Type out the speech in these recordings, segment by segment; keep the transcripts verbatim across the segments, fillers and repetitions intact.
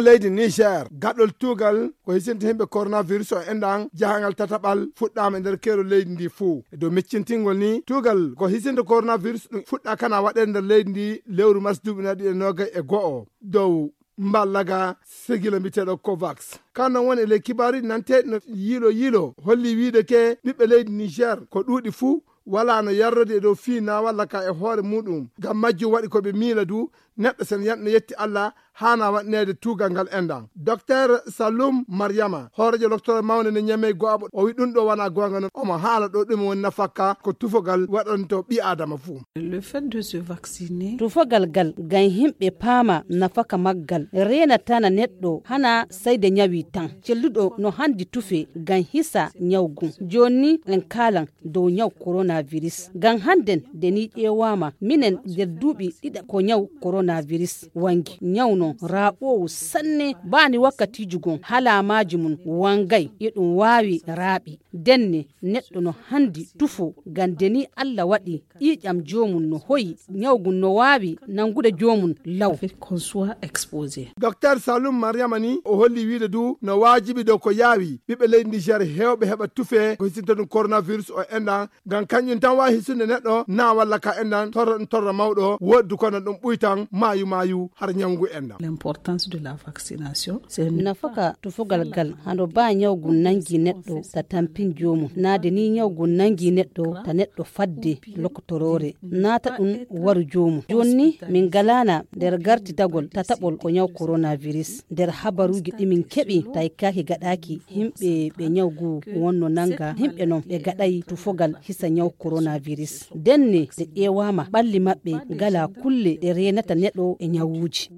Leydi Niger, gaɗol tuugal ko hisinta himɓe coronavirus o enɗan jahangal tataɓal fuɗɗaama e nder keero leydi ndi fuu. E dow miccintingol ni, tuugal ko hisinta coronavirus ɗum fuɗɗa kana waɗede nder leydi ndi lewru mars duuɓi nayi ɗiɗi e noogay e go'o. Dow mballaga sigila mbiyeteeɗo Covax. Kan non woni e ley kibaaruuji nanteeɗi no yiilo yiilo holli wiide ke ɓiɓɓe leydi Niger ko ɗuuɗi fuu wala no yarrodi e dow fii na walla ka e hoore muɗum. Ngam majjum waɗi ko ɓe miila du neɗɗo sen yan-, no yetti Allah haana waɗneede tuugal ngal enɗan. Docteur Salum Mariama, hooreejo loktore mawnde no Ñamey go'aɓo, o wi ɗum ɗo wona goonga non. Omo haala ɗo ɗum woni nafakka ko tufogal waɗanto ɓi Adama fuu. Le fait de se vacciner. Tufogal gal ngam himɓe paama nafaka maggal reenatana neɗɗo hana sayde ñawi tan. Celluɗo no handi tufe ngam hisa ñawgu. Jooni en kaalan dow ñaw coronavirus. Ngam hannden de ni ƴeewaama minen nder duuɓi ɗiɗa ko ñaw coronavirus wangi. Ñaw non raaɓoowu sanne baani wakkatiiju gon halaamaaji mum wangay e ɗum waawi raaɓi. Denne neɗɗo no handi tufo ngam de ni Allah waɗi ƴiiƴam joomum no hoyi ñawgu no waawi nangude joomum law. Fait qu'on soit exposé. Docteur Salum Mariama ni o holli wiide du no waajibi dow ko yaawi ɓiɓɓe leydi Niger heewɓe heɓa tufe ko hisinta ɗum coronavirus o enɗan ngam kañum tan waawi hisunde neɗɗo na walla ka enɗan torra ɗum torra mawɗo wooddu kono ɗum ɓuytan maayu maayu har ñawngu enɗan. L'importance de la vaccination, c'est une nafaka tufogal gal hano ba ñawgu nangi neɗɗo ta tampin joomum naade ni ñawgu nangi neɗɗo ta neɗɗo fadde lokotoroore naata ɗum waru joomum. Jooni ni min ngalaana nder gartitagol tataɓol ko ñaw coronavirus. Nder habaruuji ɗi min keɓi tawi kaaki gaɗaaki himɓe ɓe ñaw ngu wonno nanga himɓe non ɓe gaɗay tufogal hisa ñaw coronavirus. Denne ɗe ƴeewaama ɓalli maɓɓe ngala kulle ɗe reenata neɗɗo e ñawuuji.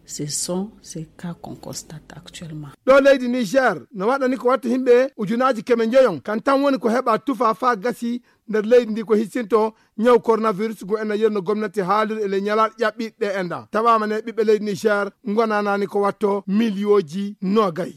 Ce sont ces cas qu'on constate actuellement. Ɗo leydi Niger no waɗani ko watta himɓe ujunaaji keme njoyon kan tan woni ko heɓa tufa faa gasi nder leydi ndi ko hisinto ñaw coronavirus ngu ena yerno gomnati haaliri e ley ñalaaɗe ƴaɓɓiiɗe ɗe enɗan. Tawaama ne ɓiɓɓe leydi Niger ngonanani ko watto miliyooji noogay.